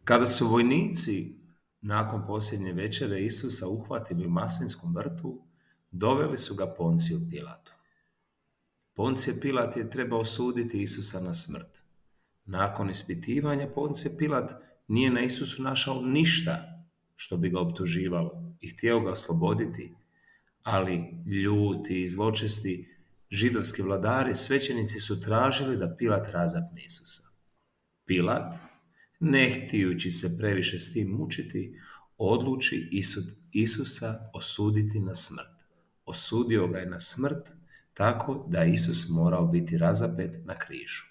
Kada su vojnici nakon posljednje večere Isusa uhvatili u Maslinskom vrtu, doveli su ga Ponciju Pilatu. Poncije Pilat je trebao suditi Isusa na smrt. Nakon ispitivanja Poncije Pilat nije na Isusu našao ništa što bi ga optuživalo i htio ga osloboditi, ali ljuti i zločesti židovski vladari, svećenici su tražili da Pilat razapne Isusa. Pilat, ne htijući se previše s tim mučiti, odluči Isusa osuditi na smrt. Osudio ga je na smrt tako da je Isus morao biti razapet na križu.